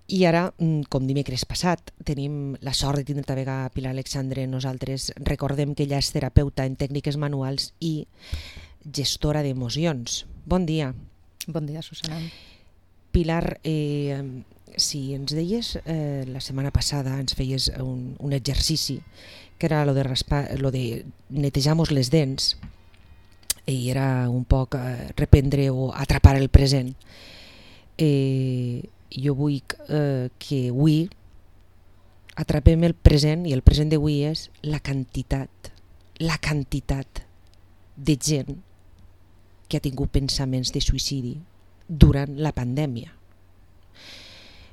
I ara, com dimecres passat, tenim la sort de tindre també a Pilar Alexandre. Nosaltres recordem que ella és terapeuta en tècniques manuals i gestora d'emocions. Bon dia. Bon dia, Susana. Pilar, si ens deies la setmana passada, ens feies un exercici que era lo de netejar-nos les dents, i era un poc reprendre o atrapar el present. Jo vull que avui atrapem el present, i el present d'avui és la quantitat de gent que ha tingut pensaments de suïcidi durant la pandèmia.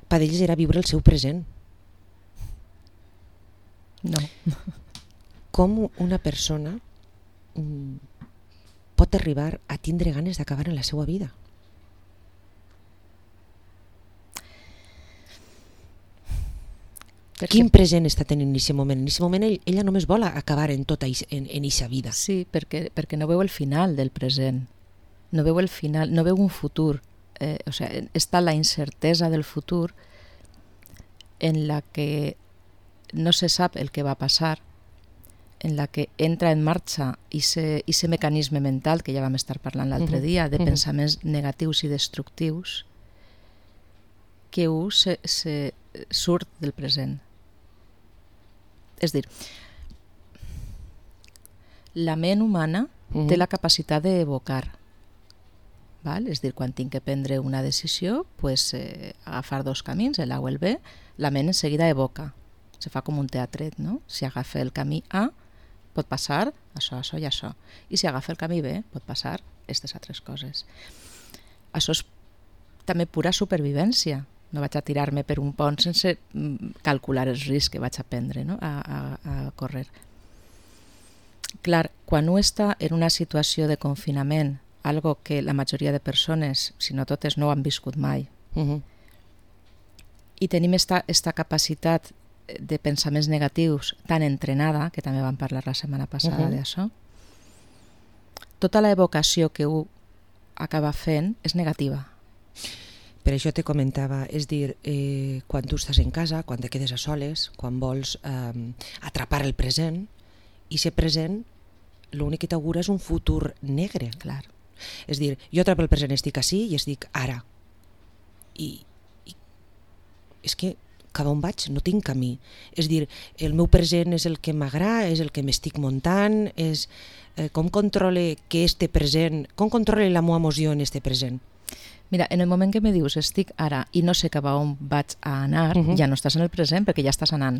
Per ells era viure el seu present. No. Com una persona pot arribar a tindre ganes d'acabar en la seva vida? Quin present està tenint en aquest moment? En aquest moment ella només vol acabar en tota en aquesta vida. Sí, perquè no veu el final del present. No veu el final, no veu un futur. Està la incertesa del futur en la que no se sap el que va passar, en la que entra en marxa ese mecanisme mental que ja vam estar parlant l'altre dia, de pensaments negatius i destructius, que se surt del present. És dir, la ment humana té la capacitat d'evocar. És dir, quan tinc que prendre una decisió, agafar dos camins, l'A o el B, la ment en seguida evoca. Se fa com un teatret, no? Si agafa el camí A, pot passar això, això i això. I si agafa el camí B, pot passar aquestes altres coses. Això és també pura supervivència. No vaig a tirar-me per un pont sense calcular els riscs que vaig a prendre, no? a córrer. Clar, quan un està en una situació de confinament, algo que la majoria de persones, si no totes, no ho han viscut mai, i tenim esta capacitat de pensaments negatius tan entrenada, que també vam parlar la setmana passada d'això, tota la evocació que un acaba fent és negativa. Per això te comentava, és dir, quan tu estàs en casa, quan te quedes a soles, quan vols atrapar el present, i ser present, l'únic que t'augura és un futur negre. Clar. És dir, jo atrapo el present, estic ací i estic ara. I és que cap on vaig no tinc camí. És dir, el meu present és el que m'agrada, és el que m'estic muntant, és com controle que este present, com controle la meva emoció en este present. Mira, en el moment que me dius estic ara i no sé cap a on vaig a anar, ja no estàs en el present perquè ja estàs anant.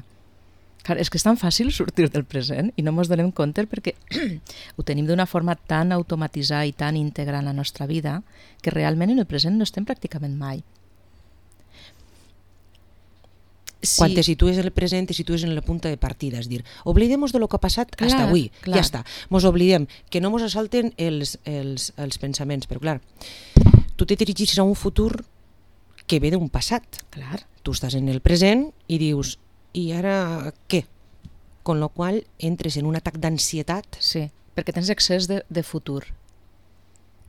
Clar, és que és tan fàcil sortir del present i no ens donem compte perquè ho tenim d'una forma tan automatitzada i tan íntegra en la nostra vida que realment en el present no estem pràcticament mai. Quan te situes en el present, te situes en la punta de partida, és dir, oblidem-nos de lo que ha passat fins avui, ja està. Mos oblidem, que no mos assalten els pensaments, però clar, tu te dirigis a un futur que ve d'un passat. Clar. Tu estàs en el present i dius, i ara què? Con lo qual entres en un atac d'ansietat. Sí, perquè tens excés de futur.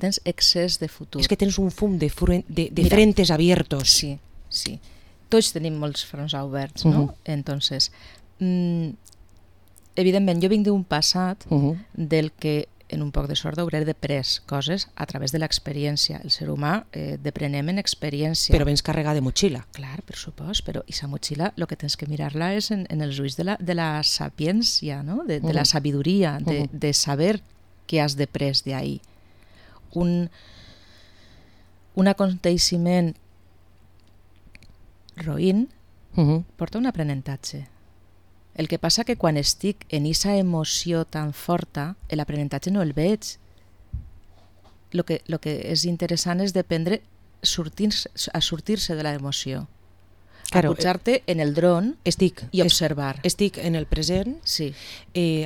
Tens excés de futur. És que tens un fum de frentes abiertos. Sí, sí. Tots tenim molts fronts oberts, no? Entonces, evidentment, jo vinc d'un passat del que en un poc de sort hauré després coses a través de l'experiència. El ser humà deprenem en experiència. Però vens carregar de motxilla. Clar, per supost, però aquesta motxilla el que tens que mirar-la és en els ulls de la sapiència, no? de la sabidoria, de saber què has després d'ahir. Un aconteixement roïn porta un aprenentatge. El que passa que quan estic en aquesta emoció tan forta, l'aprenentatge no el veig. El que és interessant és dependre a sortir-se de l'emoció. Claro, a pujar-te en el dron i observar. Estic en el present, sí.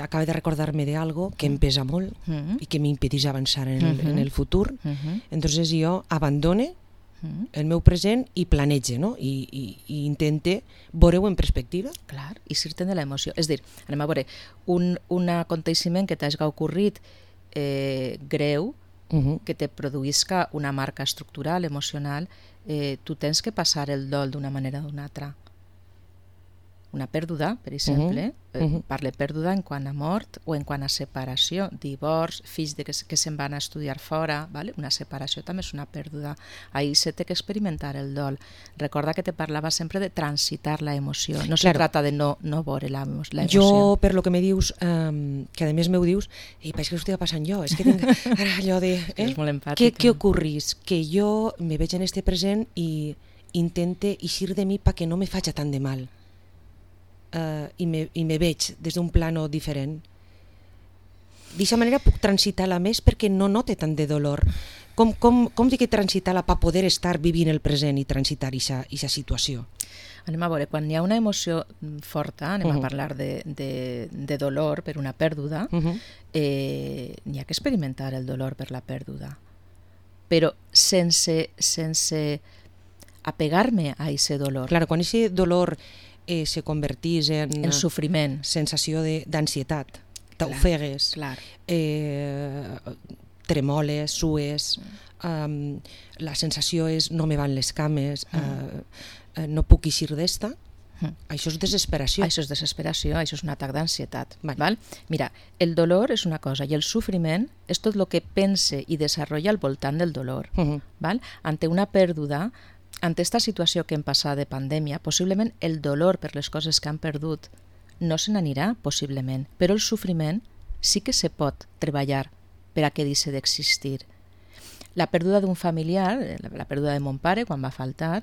Acabo de recordar-me d'algo que em pesa molt i que m'impedeix avançar en el futur. Entonces jo abandone el meu present i planege, no? I intente veure-ho en perspectiva. Clar, i sortir de l'emoció. És dir, anem a veure, un aconteixement que t'hagi ocorrit greu, que te produïsca una marca estructural, emocional, tu tens que passar el dol d'una manera o d'una altra. Una pèrdua, per exemple, parle pèrdua en quant a mort o en quant a separació, divorç, fills que se'n van a estudiar fora, ¿vale? Una separació també és una pèrdua. Ahí se té que experimentar el dol. Recorda que te parlava sempre de transitar la emoció, no se trata de no veure la emoció. Jo, per lo que me dius, que a més m'ho dius, pareix que l'estic passant jo, és que tinc ara allò de... És molt empàtica. Què ocorrís? Que jo me veig en este present i intente eixir de mi perquè no me faci tant de mal. I me veig des d'un plano diferent. D'aquesta manera puc transitar-la més perquè no note tant de dolor. Com dic que transitar-la per poder estar vivint el present i transitar aquesta situació? Anem a veure, quan hi ha una emoció forta, anem a parlar de dolor per una pèrdua, n'hi ha que experimentar el dolor per la pèrdua, però sense apegar-me a aquest dolor. Claro, quan aquest dolor se convertís en sofriment, sensació d'ansietat, t'ofegues, tremoles, sues, la sensació és no me van les cames, no puc eixir d'esta, això és desesperació. Això és desesperació, això és un atac d'ansietat. Mira, el dolor és una cosa i el sofriment és tot el que pense i desenvolupa al voltant del dolor. Ante una pèrdua, ante esta situació que hem passat de pandèmia, possiblement el dolor per les coses que han perdut no se n'anirà, possiblement, però el sofriment sí que se pot treballar per a que deixi d'existir. La pèrdua d'un familiar, la pèrdua de mon pare quan va faltar,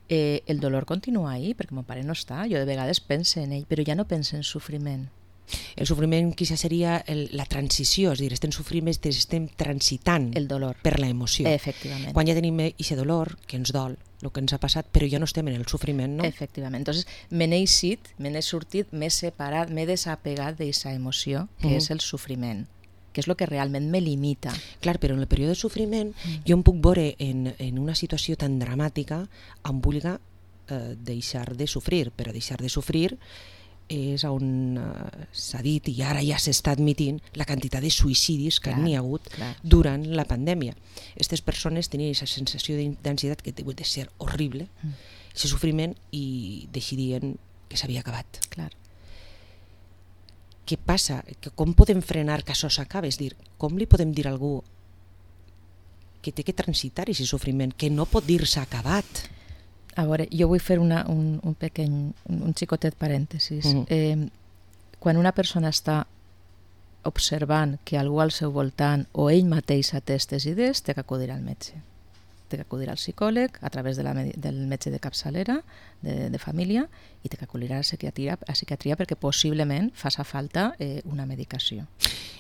el dolor continua ahí, perquè mon pare no està. Jo de vegades pense en ell, però ja no pense en sofriment. El sofriment quizá seria la transició, és a dir, estem transitant el dolor per la emoció. Efectivament. Quan ja tenim aquest dolor, que ens dol, el que ens ha passat, però ja no estem en el sofriment, no? Efectivament. Entonces, me n'he sortit, m'he separat, m'he desapegat d'aquesta emoció, que és el sofriment, que és el que realment me limita. Clar, però en el període de sofriment jo em puc veure en una situació tan dramàtica em vulga deixar de sofrir, però deixar de sofrir és on s'ha dit i ara ja s'està admitint la quantitat de suïcidis que n'hi ha hagut durant la pandèmia. Aquestes persones tenien aquesta sensació d'ansietat que deu de ser horrible, aquest sofriment, i decidien que s'havia acabat. Què passa? Com podem frenar que això s'acabi? És dir, com li podem dir a algú que té que transitar aquest sofriment, que no pot dir-se acabat? A veure, jo vull fer un xicotet parèntesis. Quan una persona està observant que algú al seu voltant o ell mateix té aquestes idees, té que acudir al metge. Té que acudir al psicòleg a través del metge de capçalera, de família, i té que acudir a la psiquiatria perquè possiblement faça falta una medicació.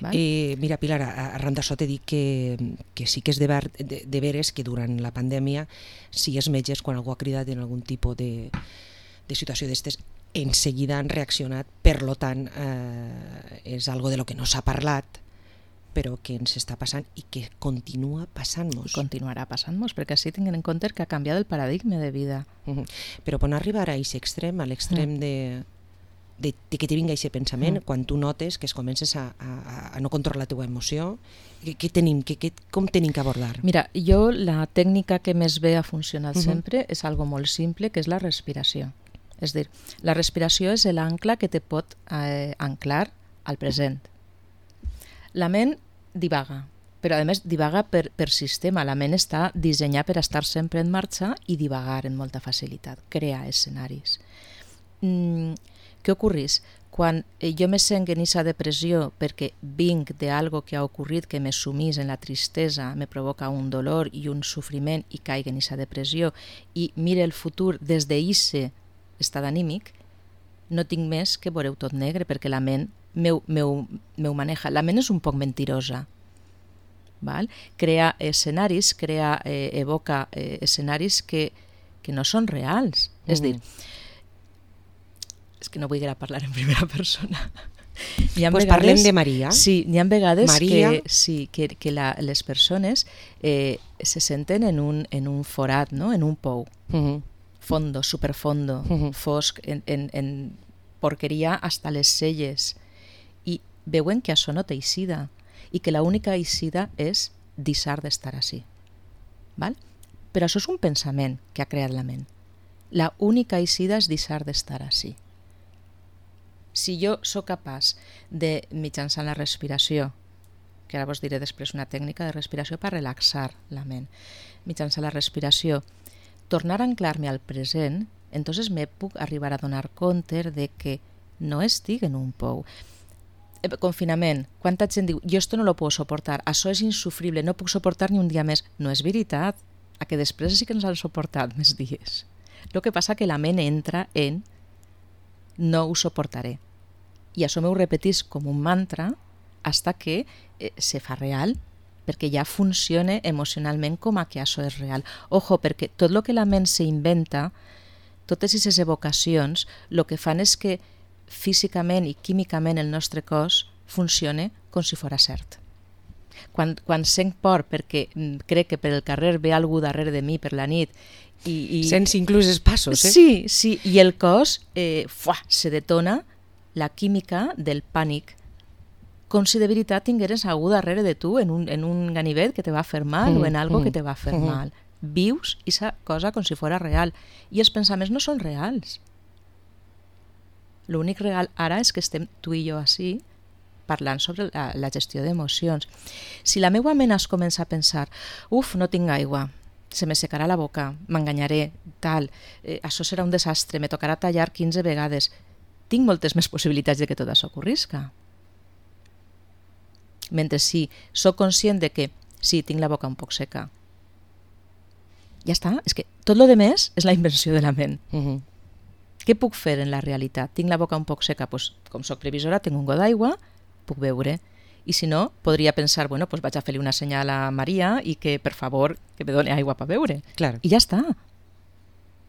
Mira, Pilar, arran d'això t'he dit que sí que és de veres que durant la pandèmia, si els metges, quan algú ha cridat en algun tipus de situació d'estes, en seguida han reaccionat, per lo tant, és algo de lo que no s'ha parlat, però que ens està passant i que continua passant-nos. I continuarà passant-nos, perquè així tinguem en compte que ha canviat el paradigma de vida. Però quan arribar a aquest extrem, a l'extrem de que te vinga aquest pensament, quan tu notes que es comences a no controlar la teva emoció, com tenim que abordar? Mira, jo la tècnica que més bé ha funcionat sempre és algo molt simple, que és la respiració. És dir, la respiració és l'ancla que te pot anclar al present. La ment divaga, però a més divaga per sistema. La ment està dissenyada per estar sempre en marxa i divagar en molta facilitat, crear escenaris. Què ocorreix? Quan jo me sent en aquesta depressió perquè vinc d'algo que ha ocorrit que me sumís en la tristesa, me provoca un dolor i un sofriment i caic en aquesta depressió i mire el futur des d'aquest estat anímic, no tinc més que veure-ho tot negre perquè la ment meu maneja. La ment és un poc mentirosa. Crea escenaris, evoca escenaris que no són reals. És dir, és que no vull parlar en primera persona. Pues parlem de Maria. Sí, n'hi ha vegades que les persones se senten en un forat, en un pou. Fondo, superfondo, fosc, en porqueria hasta les celles. I veuen que això no té eixida i que l'única eixida és deixar d'estar així. Val? Però això és un pensament que ha creat la ment. La única eixida és deixar d'estar així. Si jo sóc capaç de, mitjançant la respiració, que ara vos diré després una tècnica de respiració per relaxar la ment, mitjançant la respiració, tornar a anclar-me al present, entonces me puc arribar a donar compte de que no estic en un pou. Confinament, quanta gent diu, jo esto no lo puedo soportar, això és insufrible, no puc suportar ni un dia més. No és veritat, a que després sí que ens han suportat més dies. El que passa que la ment entra en no ho suportaré. I això m'ho repetís com un mantra hasta que se fa real, perquè ja funciona emocionalment com a que això és real. Ojo, perquè tot el que la ment s'inventa, totes aquestes evocacions, el que fan és que físicament i químicament el nostre cos funciona com si fos cert. Quan sent por perquè crec que per el carrer ve algú darrere de mi per la nit i sents inclús els passos, Sí, i el cos se detona la química del pànic, com si de veritat tingueres algú darrere de tu en un ganivet que te va fer mal o en algo que te va fer mal. Vius aquesta cosa com si fos real i els pensaments no són reals. L'únic real ara és que estem tu i jo així parlant sobre la gestió d'emocions. Si la meva ment es comença a pensar no tinc aigua, se me secarà la boca, m'enganyaré, tal, això serà un desastre, me tocarà tallar 15 vegades, tinc moltes més possibilitats de que tot això ocorrisca. Mentre si sóc conscient de que sí, tinc la boca un poc seca, ja està, és que tot lo demés és la invenció de la ment. Què puc fer en la realitat? Tinc la boca un poc seca, doncs, com soc previsora, tinc un got d'aigua, puc beure. I si no, podria pensar, bueno, pues vaig a fer-li una senyal a Maria i que, per favor, que me doni aigua per beure. Claro. I ja està.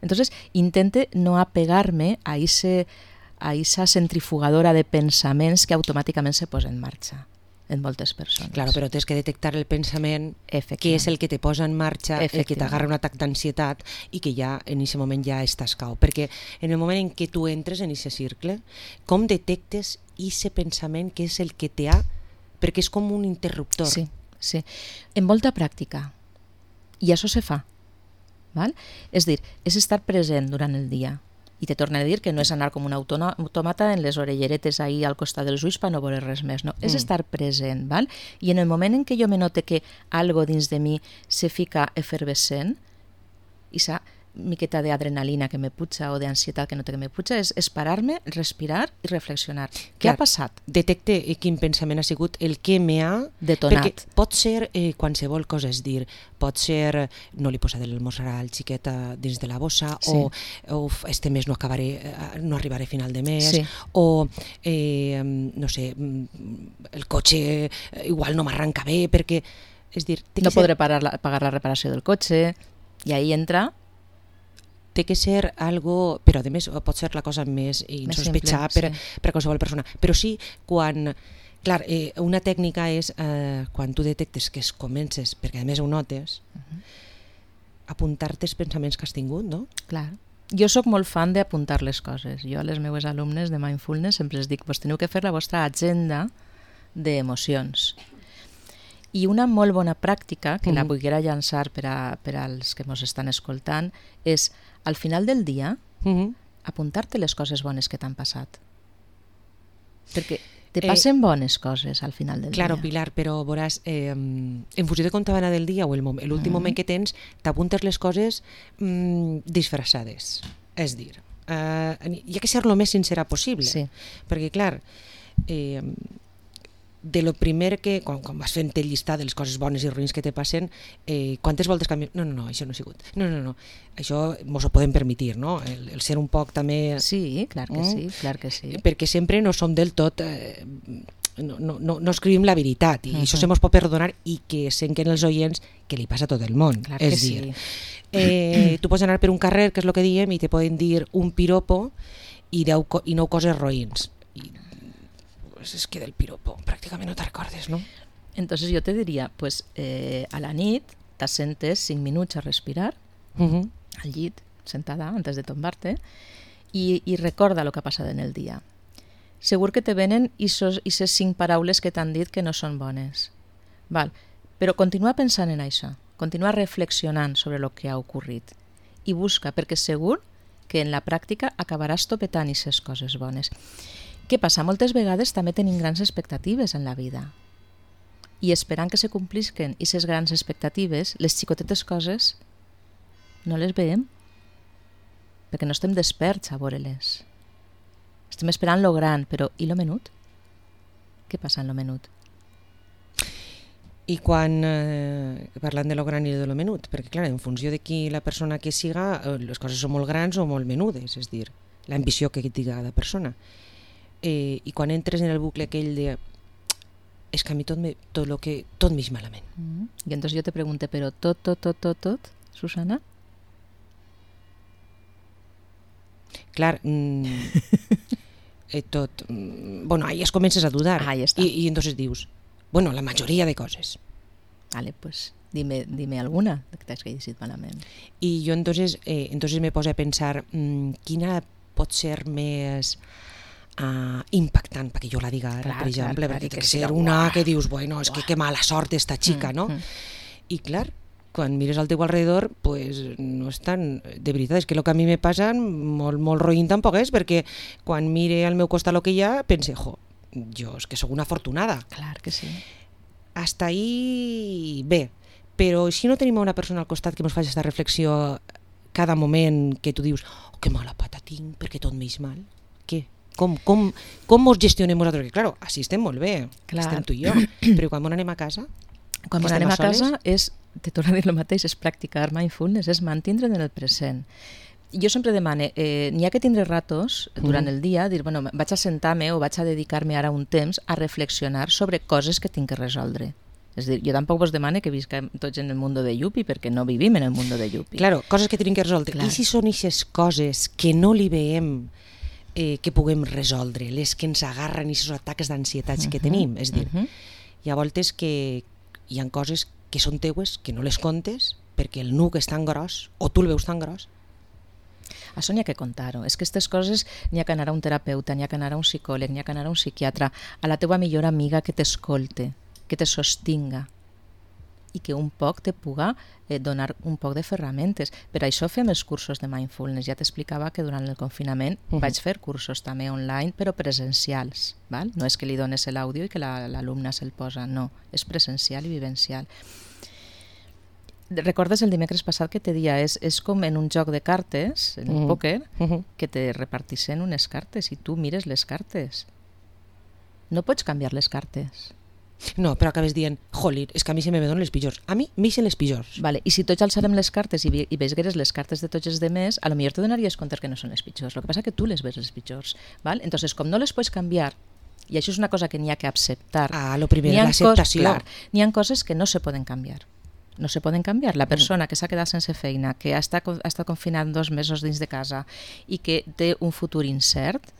Entonces, intente no apegar-me a esa centrifugadora de pensaments que automàticament se posa en marxa en moltes persones. Claro, però tens que detectar el pensament que és el que te posa en marxa, el que t'agarra un atac d'ansietat i que ja en aquest moment ja estàs cau. Perquè en el moment en què tu entres en aquest cercle, com detectes aquest pensament que és el que te ha... Perquè és com un interruptor. Sí, sí. En molta pràctica. I això se fa. Val? És dir, és estar present durant el dia. I te torno a dir que no és anar com un automata en les orelleretes ahí al costat dels ulls per no veure res més, no. És estar present, val? I en el moment en què jo me note que algo dins de mi se fica efervescent, i sa miqueta d'adrenalina que me puja o d'ansietat que no té que me puja, és parar-me, respirar i reflexionar. Què ha passat? Detecte quin pensament ha sigut el que me ha... detonat. Perquè pot ser qualsevol cosa, és dir, pot ser no li posaré l'almorzar al xiquet dins de la bossa, sí. o este mes no arribaré a final de mes, sí. o no sé, el cotxe igual no m'arranca bé, perquè... És dir, no podré pagar la reparació del cotxe, i ahí entra... té que ser algo, però a més pot ser la cosa més insospechada per qualsevol persona, però sí quan, clar, una tècnica és quan tu detectes que es comences, perquè a més ho notes, apuntar-te els pensaments que has tingut, no? Clar. Jo sóc molt fan d'apuntar les coses. Jo a les meves alumnes de Mindfulness sempre els dic, vos teniu que fer la vostra agenda d'emocions. I una molt bona pràctica, que la volguera llançar per als que ens estan escoltant, és, al final del dia, apuntar-te les coses bones que t'han passat. Perquè te passen bones coses al final del dia. Claro, Pilar, però veuràs, en funció de com te va anar del dia o l'últim moment que tens, t'apuntes les coses disfressades. És dir, hi ha que ser lo més sincera possible. Sí. Perquè, clar, de lo primer que, quan vas fent el llistat de les coses bones i ruïns que te passen, quantes voltes canviem? No, això no ha sigut. No, això mos ho podem permetir, no? El ser un poc també... Sí, clar que sí. Perquè sempre no som del tot... No escrivim la veritat, i això se mos pot perdonar i que senquen els oients que li passa a tot el món. Clar és que dir, sí. Tu pots anar per un carrer, que és el que diem, i te poden dir un piropo i 9 coses roïns. És que del piropo pràcticament no te recordes, no? Entonces jo te diria, pues, a la nit t'assentes 5 minuts a respirar al llit, sentada, antes de tombar-te, i recorda el que ha passat en el dia. Segur que te venen aquestes 5 paraules que t'han dit que no són bones. Val. Però continua pensant en això, continua reflexionant sobre el que ha ocorrit i busca, perquè segur que en la pràctica acabaràs topetant aquestes coses bones. Què passa? Moltes vegades també tenim grans expectatives en la vida i esperant que se complisquen aquestes grans expectatives, les xicotetes coses no les veiem perquè no estem desperts a veure-les. Estem esperant lo gran, però i lo menut? Què passa en lo menut? I quan parlant de lo gran i de lo menut, perquè clar, en funció de qui la persona que siga, les coses són molt grans o molt menudes, és dir, l'ambició que tinga cada persona. I quan entres en el bucle aquell de és que a mi tot m'eix malament. I entonces jo te pregunte, però tot, Susana? Clar, tot... Bueno, ahí es comences a dudar. Ahí está. Y entonces dius, bueno, la majoria de coses. Vale, pues dime alguna que t'has llegit malament. I jo entonces me poso a pensar quina pot ser més impactant perquè jo la diga ara, per exemple, perquè té que ser una que dius, bueno, és que mala sort esta xica, no? I clar, quan mires al teu alrededor, pues no és tan... De veritat, és que el que a mi me passa molt roïn tampoc és, perquè quan mire al meu costat el que hi ha, pense, jo és que sóc una afortunada. Clar que sí. Hasta ahí bé, però si no tenim una persona al costat que ens faci aquesta reflexió cada moment que tu dius, oh, que mala pata tinc, perquè tot m'eix mal. Què? Com mos gestionem nosaltres? Que, claro, així estem molt bé, estem tu i jo, però quan anem a casa... Quan anem a casa és, te torno a dir el mateix, és practicar mindfulness, és mantindre en el present. Jo sempre demane, n'hi ha que tindre ratos durant el dia, dir, bueno, vaig a sentar-me o vaig a dedicar-me ara un temps a reflexionar sobre coses que tinc que resoldre. És dir, jo tampoc vos demane que visquem tots en el mundo de Yupi, perquè no vivim en el mundo de Yupi. Claro, coses que tenim que resoldre. Clar. I si són aquestes coses que no li veiem que puguem resoldre, les que ens agarren aquests atacs d'ansietats que tenim? És dir, hi ha voltes que hi ha coses que són teues, que no les contes, perquè el nuc és tan gros, o tu el veus tan gros. Això n'hi ha que contar-ho. És que aquestes coses n'hi ha que anar a un terapeuta, n'hi ha que anar a un psicòleg, n'hi ha que anar a un psiquiatre, a la teua millor amiga que t'escolte, que te sostinga i que un poc te puga donar un poc de ferramentes. Per això fem els cursos de mindfulness. Ja t'explicava que durant el confinament vaig fer cursos també online, però presencials. Val? No és que li dones l'àudio i que l'alumne se'l posa, no. És presencial i vivencial. Recordes el dimecres passat que te dia, és com en un joc de cartes, en el pòquer, que te repartissen unes cartes i tu mires les cartes. No pots canviar les cartes. No, però acabes dient, jolín, és que a mi se me donen les pitjors. A mi m'eixen les pitjors. Vale, i si tots alçarem les cartes i veigueres les cartes de tots els demés, a lo millor te donaries compte que no són les pitjors. El que passa que tu les ves les pitjors. Val? Entonces, com no les pots canviar, i això és una cosa que n'hi ha que acceptar. Lo primer, l'acceptació. N'hi ha coses que no se poden canviar. No se poden canviar. La persona que s'ha quedat sense feina, que ha estat confinat 2 mesos dins de casa i que té un futur incert,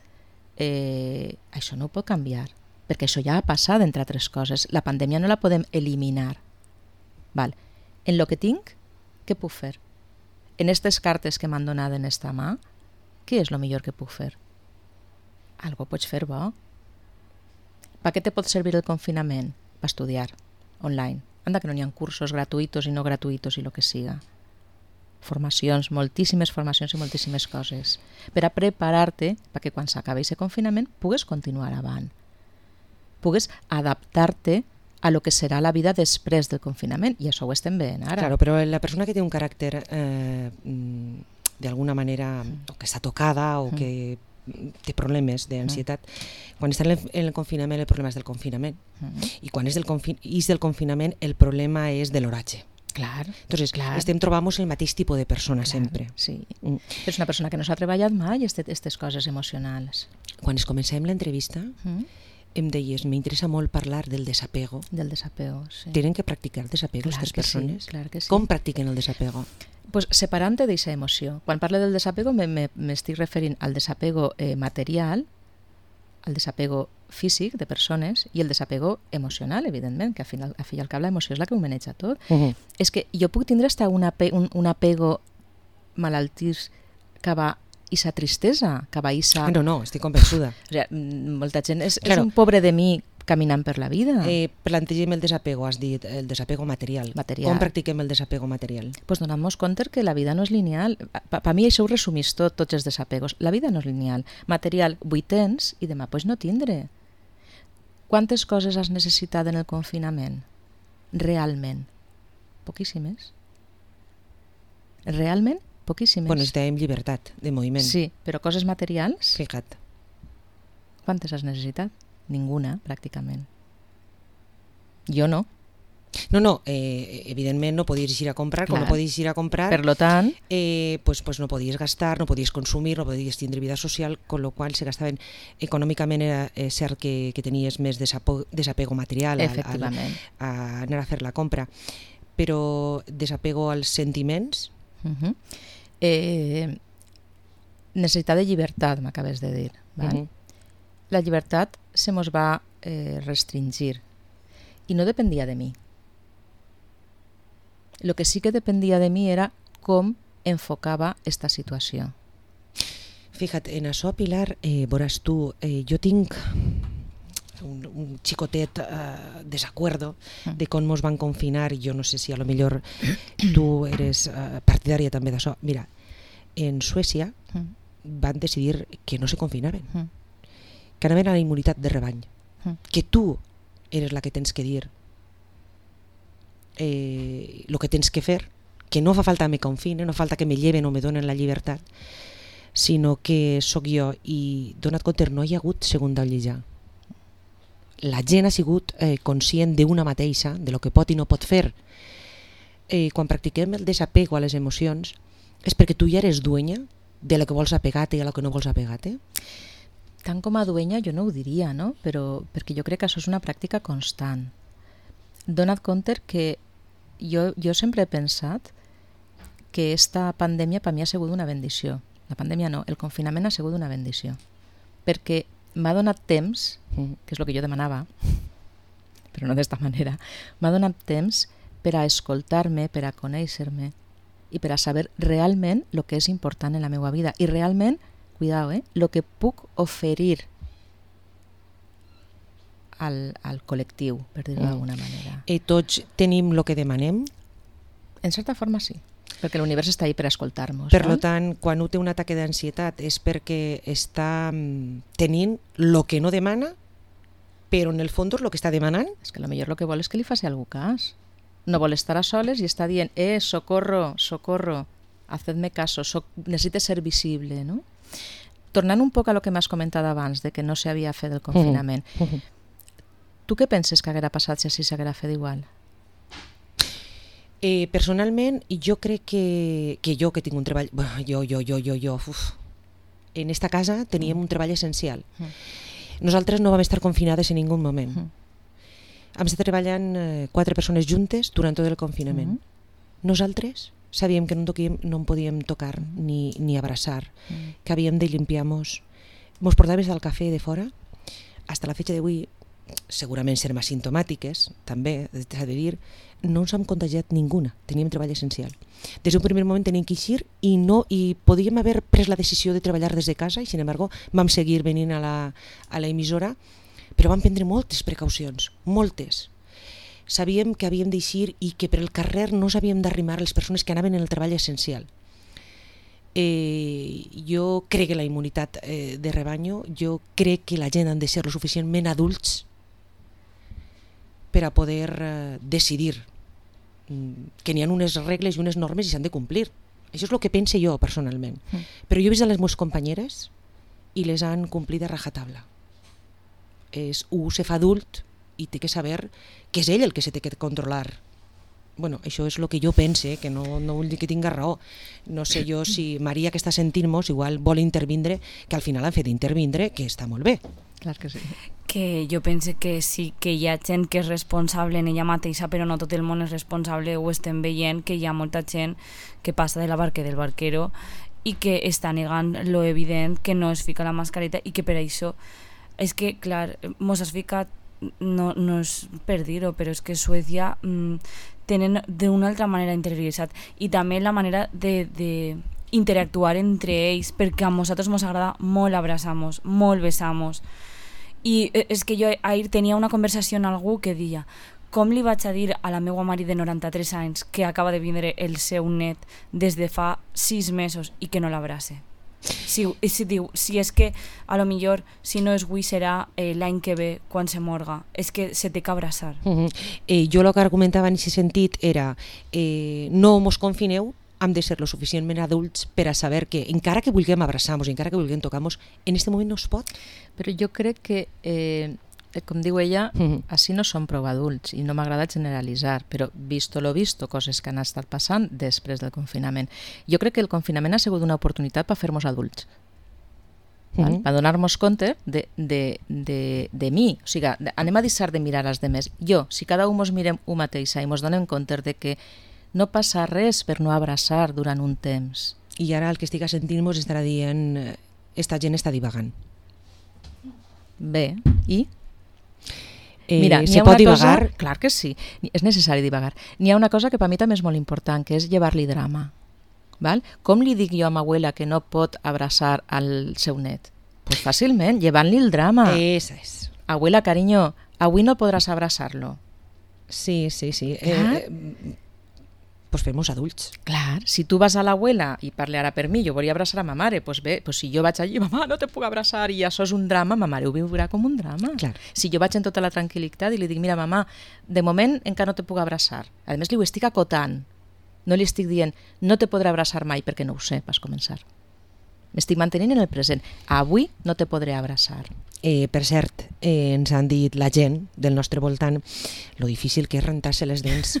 això no ho pot canviar, perquè això ja ha passat, entre altres coses. La pandèmia no la podem eliminar. Val. En lo que tinc, què puc fer? En aquestes cartes que m'han donat en esta mà, què és el millor que puc fer? Algo pots fer bo. Per què te pot servir el confinament? Per estudiar, online. Anda que no n'hi ha cursos gratuïtos i no gratuïtos i el que siga. Formacions, moltíssimes formacions i moltíssimes coses. Per a preparar-te perquè quan s'acabi aquest confinament pugues continuar avant. Pugues adaptar-te a lo que serà la vida després del confinament, i això ho estem veient ara. Claro, però la persona que té un caràcter d'alguna manera o que està tocada o que té problemes d'ansietat, quan està en el confinament el problema és del confinament i quan és del confinament el problema és de l'oratge. Clar. Entonces, estem trobant el mateix tipus de persona sempre. Sí. És una persona que no s'ha treballat mai aquestes coses emocionals. Quan es comencem l'entrevista em deies, m'interessa molt parlar del desapego. Del desapego, sí. Tenen que practicar el desapego aquestes persones? Sí, clar que sí. Com practiquen el desapego? Pues separant-te d'aquesta emoció. Quan parlo del desapego m'estic referint al desapego material, al desapego físic de persones i el desapego emocional, evidentment, que al final, al fi i al cap la emoció és la que ho maneja tot. És que jo puc tindre hasta un apego malaltís cap a aquesta tristesa, cap a aquesta... No, estic convençuda. O sigui, molta gent és un pobre de mi caminant per la vida. Plantegem el desapego, has dit, el desapego material. Com practiquem el desapego material? Pues donant-nos compte que la vida no és lineal. Per mi això ho resumís tots els desapegos. La vida no és lineal. Material, avui tens i demà pues no tindré. Quantes coses has necessitat en el confinament? Realment? Poquíssimes. Realment? Poquíssimes. Bueno, necessitàvem llibertat de moviment. Sí, però coses materials? Fija't. Quantes has necessitat? Ninguna, pràcticament. Jo no. No, evidentment no podies ir a comprar, com no podies ir a comprar, per lo tant, pues no podies gastar, no podies consumir, no podies tindre vida social, con lo qual se gastaven econòmicament. Era cert que tenies més desapego material a anar a fer la compra, però desapego als sentiments. Necessitat de llibertat, m'acabes de dir. Val? La llibertat se mos va restringir i no dependia de mi. Lo que sí que dependia de mi era com enfocava esta situació. Fíjate, en això, Pilar, veuràs tu, jo tinc un xicotet desacuerdo de com mos van confinar. Jo no sé si a lo millor tu eres partidària també d'això. Mira, en Suècia van decidir que no se confinaven, que anaven a la immunitat de rebany, que tu eres la que tens que dir el que tens que fer, que no fa falta me confinen, no falta que me lleven o me donen la llibertat, sinó que sóc jo. I dona't compte, no hi ha hagut segunda olla. La gent ha sigut conscient d'una mateixa, de lo que pot i no pot fer. Quan practiquem el desapego a les emocions és perquè tu ja eres duenya de lo que vols apegar-te i a lo que no vols apegar-te. Tant com a duenya jo no ho diria, no? Però perquè jo crec que això és una pràctica constant. Dona't compte que jo sempre he pensat que esta pandèmia per mi ha sigut una bendició. La pandèmia no, el confinament ha sigut una bendició. Perquè m'ha donat temps, que és el que jo demanava, però no d'esta manera, m'ha donat temps per a escoltar-me, per a conèixer-me i per a saber realment el que és important en la meva vida i realment, cuidado, el que puc oferir al col·lectiu, per dir-ho d'alguna manera. Tots tenim el que demanem? En certa forma sí, perquè l'univers està ahí per escoltar-nos. Per tant, quan un té un ataque d'ansietat és perquè està tenint el que no demana, però en el fons el que està demanant? És que potser el que vol és que li faci algú cas. No vol estar a soles i està dient socorro, socorro, hacedme caso, necessite ser visible, no? Tornant un poc a lo que m'has comentat abans, de que no s'havia fet el confinament, tu què penses que haguera passat si així s'haguera fet igual? Personalment, jo crec que jo que tinc un treball... En esta casa teníem un treball essencial. Nosaltres no vam estar confinades en ningú moment. Vam estar treballant 4 persones juntes durant tot el confinament. Nosaltres sabíem que no en podíem tocar ni abraçar, que havíem de limpiar-nos. Mos portaves del cafè de fora. Hasta la fecha d'avui, segurament serem asimptomàtiques, també, s'ha de dir, no ens hem contagiat ninguna, teníem treball essencial. Des d'un primer moment teníem que eixir i podíem haver pres la decisió de treballar des de casa i, sin embargo, vam seguir venint a la emissora, però vam prendre moltes precaucions, moltes. Sabíem que havíem d'eixir i que per el carrer no s'havíem d'arrimar les persones que anaven en el treball essencial. Jo crec que la immunitat de rebanyo, jo crec que la gent han de ser lo suficientment adults per a poder decidir que n'hi ha unes regles i unes normes i s'han de complir. Això és el que pense jo personalment. Però jo he vist a les meves companyeres i les han complit a rajatabla. Un se fa adult i té que saber que és ell el que se té que controlar. Bueno, això és el que jo pense, que no vull dir que tinga raó. No sé jo si Maria, que està sentint-nos, igual vol intervindre, que al final han fet intervindre, que està molt bé. Clar que sí. Que jo pense que sí que hi ha gent que és responsable en ella mateixa, però no tot el món és responsable. Ho estem veient, que hi ha molta gent que passa de la barca del barquero i que està negant lo evident, que no es fica la mascareta i que per això és que, clar, mos has ficat, no és per dir-ho, però és que Suècia tenen d'una altra manera interioritzat i també la manera de interactuar entre ells, perquè a nosaltres ens agrada molt abraçar-nos, molt besar-nos I és que jo ahir tenia una conversació amb algú que deia com li vaig a dir a la meva mare de 93 anys que acaba de vindre el seu net des de fa 6 mesos i que no l'abrace? Si diu, si és que a lo millor si no és avui serà l'any que ve quan se morga, és que se té que abraçar. Jo el que argumentava en aquest sentit era no mos confineu, hem de ser lo suficientment adults per a saber que encara que vulguem abraçar-nos, encara que vulguem tocar-nos, en aquest moment no es pot. Però jo crec que com diu ella, així no som prou adults i no m'agrada generalitzar, però visto lo visto, coses que han estat passant després del confinament. Jo crec que el confinament ha sigut una oportunitat per fer-nos adults, per donar-nos compte de mi. O sigui, anem a deixar de mirar als demés. Jo, si cada un ens mirem un mateixa i ens donem compte de que no passa res per no abraçar durant un temps. I ara el que estic sentint ens estarà dient esta gent està divagant. Bé, i? Mira, se pot divagar? Clar que sí, és necessari divagar. N'hi ha una cosa que per mi també és molt important, que és llevar-li drama. Val? Com li dic jo a ma abuela que no pot abraçar al seu net? Pues fàcilment, llevant-li el drama. Esa és. Abuela, cariño, avui no podràs abraçar-lo. Sí. Pues fem-nos adults. Clar, si tu vas a l'abuela i parle ara per mi, jo volia abraçar a ma mare, pues bé, pues si jo vaig allí, mamà, no te puc abraçar, i això és un drama, ma mare ho viurà com un drama. Clar. Si jo vaig en tota la tranquil·litat i li dic, mira, mamà, de moment encara no te puc abraçar. A més, li ho estic acotant. No li estic dient, no te podré abraçar mai, perquè no ho sé, vas començar. M'estic mantenint en el present. Avui no te podré abraçar. Per cert, ens han dit la gent del nostre voltant lo difícil que és rentar-se les dents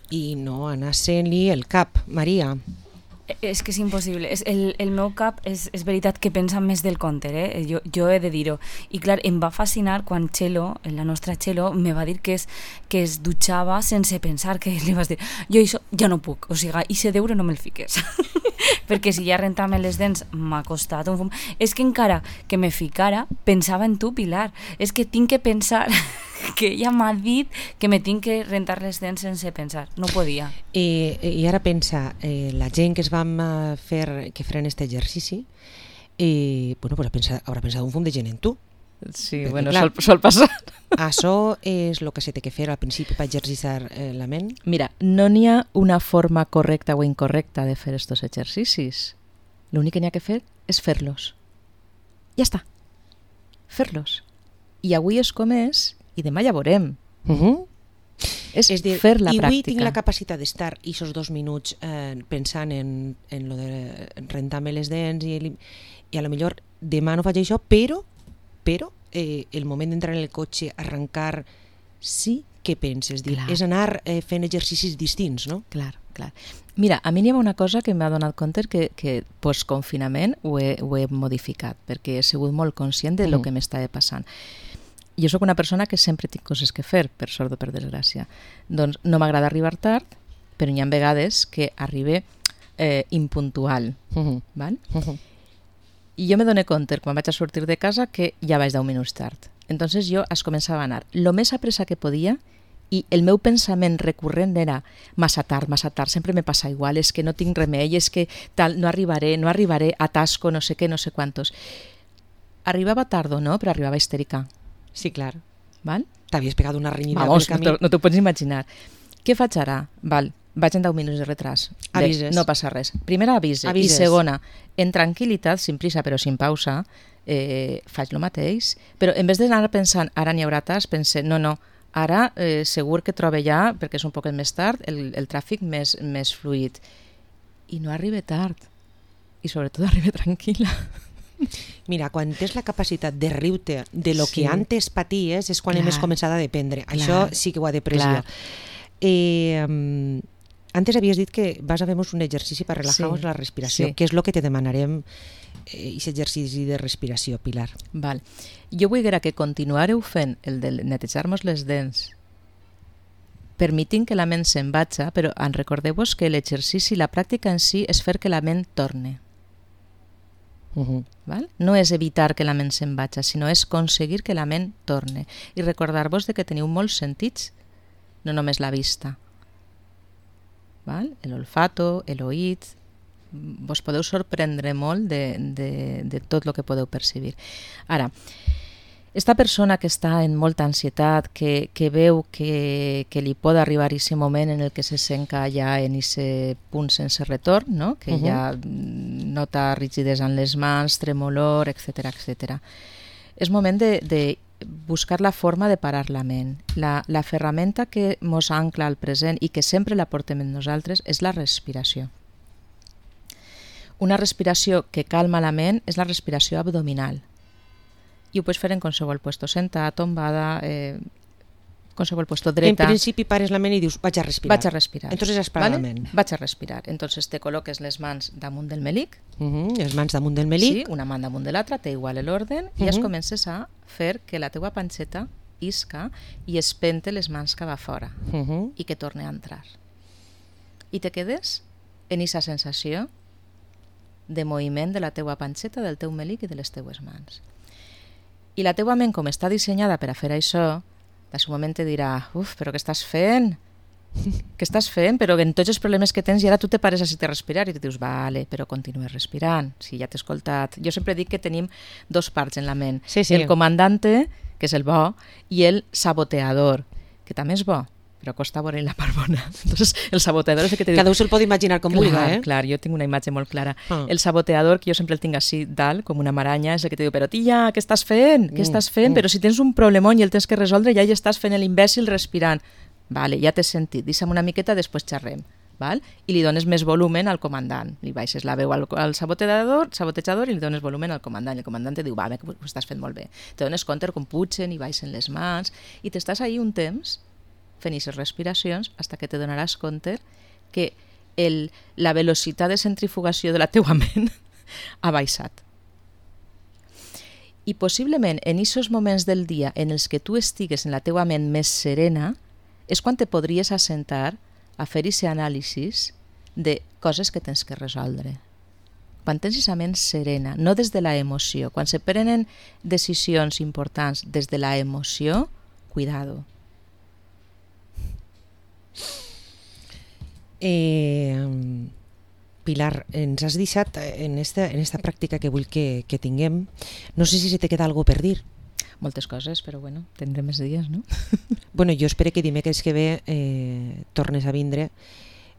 i no anar-se-li el cap, Maria. És que és impossible. El meu cap és veritat que pensa més del compte, jo he de dir-ho. I clar, em va fascinar quan Txelo, la nostra Txelo, me va dir que es dutxava sense pensar, que li vas dir, jo això ja no puc, o sigui, i se deure no me'l fiques. Perquè si ja rentar-me les dents m'ha costat un fum. És que encara que me ficara, pensava en tu, Pilar. És que tinc que pensar que ella m'ha dit que me tinc que rentar les dents sense pensar. No podia. I ara pensa, la gent que es vam fer, que feren aquest exercici, bueno, pues haurà pensat un fum de gent en tu. Sí, perquè, bueno, clar, sol passar. Això és el que se té que fer al principi per exercitar la ment? Mira, no n'hi ha una forma correcta o incorrecta de fer estos exercicis. L'únic que n'hi ha que fer és fer-los. Ja està. Fer-los. I avui és com és i demà ja veurem. És dir, fer la i pràctica. avui tinc la capacitat d'estar aquests 2 minuts pensant en lo de rentar-me les dents i a lo millor demà no faig això, però el moment d'entrar en el cotxe, arrencar, sí que penses, és anar fent exercicis distints, no? Clar. Mira, a mi n'hi ha una cosa que m'ha donat compte que post-confinament ho he modificat, perquè he sigut molt conscient de lo que m'estava passant. Jo sóc una persona que sempre tinc coses que fer, per sort o per desgràcia. Doncs no m'agrada arribar tard, però hi ha vegades que arribe impuntual. Val? I jo me doné compte, quan vaig a sortir de casa, que ja vaig 10 minuts tard. Entonces jo es començava a anar lo més a pressa que podia i el meu pensament recurrent era massa tard, sempre me passa igual, és que no tinc remei, és que tal, no arribaré, atasco, no sé què, no sé quantos. Arribava tard o no, però arribava histèrica. Sí, clar. Val? T'havies pegat una renyida pel camí. No t'ho pots imaginar. Què faig ara? Val, vaig en 10 minuts de retras. Avises. No passa res. Primera, avises. I segona, en tranquil·litat, sin prisa però sin pausa, faig el mateix. Però en vez d'anar pensant, ara n'hi haurà tas, pense, no, ara segur que trobe ja, perquè és un poc més tard, el tràfic més fluid. I no arriba tard. I sobretot arriba tranquil·la. Mira, quan tens la capacitat de riure de lo que antes paties és quan hem començat a dependre. Això sí que ho ha de pressió. Antes havies dit que vas a fer-nos un exercici per relajar-nos la respiració. Què és el que te demanarem aquest exercici de respiració, Pilar? Val. Jo vull que continuareu fent el de netejar-nos les dents permitint que la ment se'n vagi, però recordeu-vos que l'exercici, la pràctica en si és fer que la ment torne. Val? No és evitar que la ment se'n vagi, sinó és aconseguir que la ment torne. I recordar-vos que teniu molts sentits, no només la vista. Val? L'olfato, l'oït, vos podeu sorprendre molt de tot el que podeu percibir. Ara, Esta persona que està en molta ansietat, que veu que li pot arribar aquest moment en el que se sent ja en aquest punt sense retorn, no? Que ja nota rigidesa en les mans, tremolor, etc etc. És moment de buscar la forma de parar la ment. La ferramenta que mos ancla al present i que sempre la portem en nosaltres és la respiració. Una respiració que calma la ment és la respiració abdominal. I ho pots fer en qualsevol puesto, sentada, tombada, qualsevol puesto, dreta. En principi pares la ment i dius, vaig a respirar. Vaig a respirar. Entonces has parat la ment. Vaig a respirar. Entonces te col·loques les mans damunt del melic. Les mans damunt del melic. Sí, una mà damunt de l'altra, té igual l'ordre, i es comences a fer que la teua panxeta isca i es pente les mans cap a fora i que torne a entrar. I te quedes en aquesta sensació de moviment de la teua panxeta, del teu melic i de les teues mans. I la teua ment, com està dissenyada per a fer això, de un moment te dirà, però què estàs fent? Què estàs fent? Però en tots els problemes que tens i ara tu te pares a respirar i te dius, vale, però continues respirant, si ja t'he escoltat. Jo sempre dic que tenim dos parts en la ment. Sí, sí. El comandante, que és el bo, i el saboteador, que també és bo, però costa veure la part bona. Entonces, el saboteador és el que te diu... Cada un se'l pot imaginar com vulgui, Clar, jo tinc una imatge molt clara. El saboteador, que jo sempre el tinc així dalt, com una maranya, és el que te diu, però tia, què estàs fent? Què estàs fent? Però si tens un problemón i el tens que resoldre, ja hi estàs fent l'imbècil respirant. Vale, ja t'he sentit, deixa'm una miqueta, després xerrem. Val? I li dones més volumen al comandant. Li baixes la veu al sabotejador i li dones volumen al comandant. I el comandant te diu, ho estàs fent molt bé. Te dones compte com pugen i baixen les mans i t'estàs ahí un temps fent aquestes respiracions fins que te donaràs compte que la velocitat de centrifugació de la teua ment ha baixat. I possiblement en aquests moments del dia en els que tu estigues en la teua ment més serena és quan te podries assentar a fer aquest anàlisi de coses que tens que resoldre. Quan tens aquesta ment serena, no des de l'emoció. Quan se prenen decisions importants des de l'emoció, cuidado. Pilar, ens has deixat en esta pràctica que vull que tinguem, no sé si se te queda alguna cosa per dir. Moltes coses, però bueno, tindrem més dies, no? Bueno, jo espero que dimecres que ve tornes a vindre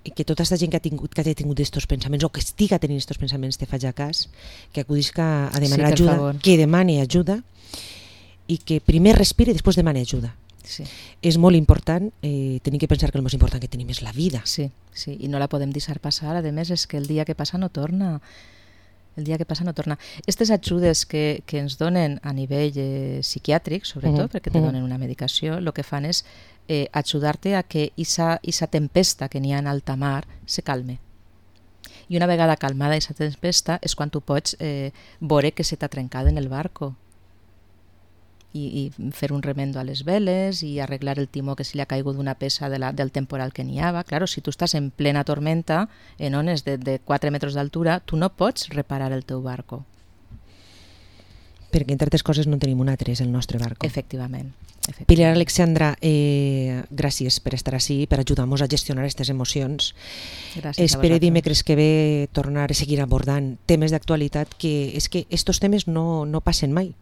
i que tota aquesta gent que hagi tingut estos pensaments o que estiga tenint estos pensaments te faci cas, que acudisca a demanar ajuda, que demani ajuda i que primer respire i després demani ajuda. Sí. És molt important, tenim que pensar que el més important que tenim és la vida. Sí, i no la podem deixar passar. A més, és que el dia que passa no torna. El dia que passa no torna. Aquestes ajudes que ens donen a nivell psiquiàtric, sobretot, perquè te donen una medicació, el que fan és ajudar-te a que aquesta tempesta que n'hi ha en alta mar se calme. I una vegada calmada aquesta tempesta és quan tu pots veure que se t'ha trencat en el barco i fer un remendo a les veles i arreglar el timó que se li ha caigut d'una peça del temporal que n'hi havia. Claro, si tu estàs en plena tormenta, en ones de 4 metres d'altura, tu no pots reparar el teu barco. Perquè, entre altres coses, no tenim un altre, és el nostre barco. Efectivament. Pilar Alexandra, gràcies per estar així, per ajudar-nos a gestionar aquestes emocions. Gràcies. Espero dimecres que ve tornar a seguir abordant temes d'actualitat, que és que estos temes no passen mai.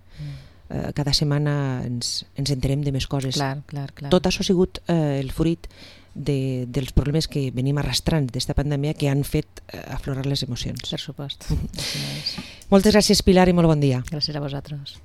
Cada setmana ens enterem de més coses. Clar. Tot això ha sigut el fruit dels problemes que venim arrastrant d'esta pandèmia que han fet aflorar les emocions. Per supost. Moltes gràcies, Pilar, i molt bon dia. Gràcies a vosaltres.